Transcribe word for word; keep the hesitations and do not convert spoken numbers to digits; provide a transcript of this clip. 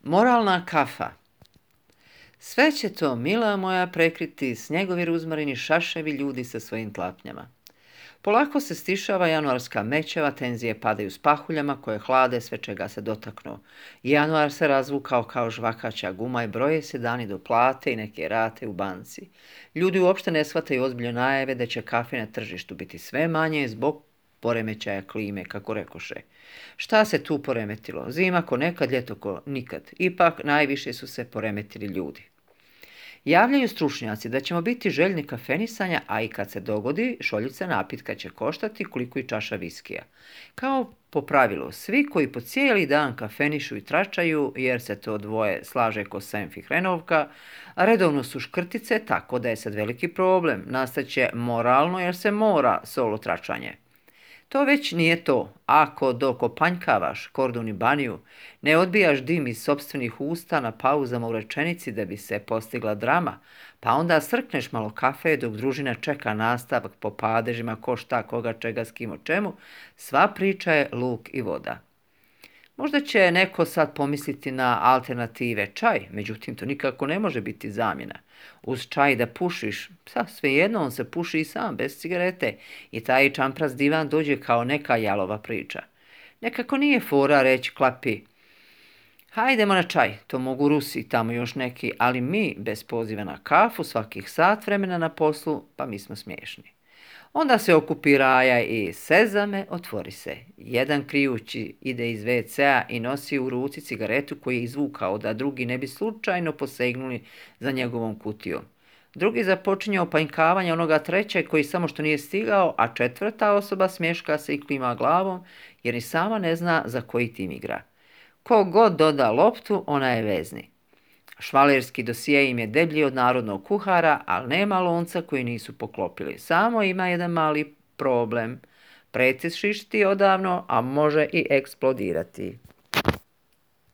Moralna kafa. Sve će to, mila moja, prekriti snjegovi ruzmarini, šaševi ljudi sa svojim tlapnjama. Polako se stišava januarska mećava, tenzije padaju s pahuljama koje hlade sve čega se dotaknu. Januar se razvukao kao žvakaća guma i broje se dani do plate i neke rate u banci. Ljudi uopšte ne shvataju ozbiljno najave da će kafe na tržištu biti sve manje zbog poremećaja klime, kako rekoše. Šta se tu poremetilo? Zima ko nekad, ljeto ko nikad. Ipak najviše su se poremetili ljudi. Javljaju stručnjaci da ćemo biti željni kafenisanja, a i kad se dogodi, šoljica napitka će koštati koliko i čaša viskija. Kao po pravilu, svi koji po cijeli dan kafenišu i tračaju, jer se to dvoje slaže ko Senf i hrenovka, a redovno su škrtice, tako da je sad veliki problem. Nastaće moralno jer se mora solo tračanje. To već nije to. Ako dok opanjkavaš kordun i baniju, ne odbijaš dim iz sopstvenih usta na pauzama u rečenici da bi se postigla drama, pa onda srkneš malo kafe dok družina čeka nastavak po padežima ko šta, koga, čega, s kim, o čemu, sva priča je luk i voda. Možda će neko sad pomisliti na alternative čaj, međutim to nikako ne može biti zamjena. Uz čaj da pušiš, sa svejedno on se puši i sam, bez cigarete, i taj čampras divan dođe kao neka jalova priča. Nekako nije fora reći klapi, hajdemo na čaj, to mogu Rusi, tamo još neki, ali mi bez poziva na kafu svakih sat vremena na poslu, pa mi smo smiješni. Onda se okupi Raja i sezame, otvori se. Jedan krijući ide iz ve ce a i nosi u ruci cigaretu koju je izvukao da drugi ne bi slučajno posegnuli za njegovom kutijom. Drugi započinje opanjkavanje onoga trećeg koji samo što nije stigao, a četvrta osoba smješka se i klima glavom jer ni sama ne zna za koji tim igra. Ko god doda loptu, ona je vezni. Švalerski dosije im je deblji od narodnog kuhara, ali nema lonca koji nisu poklopili. Samo ima jedan mali problem. Precis šišti odavno, a može i eksplodirati.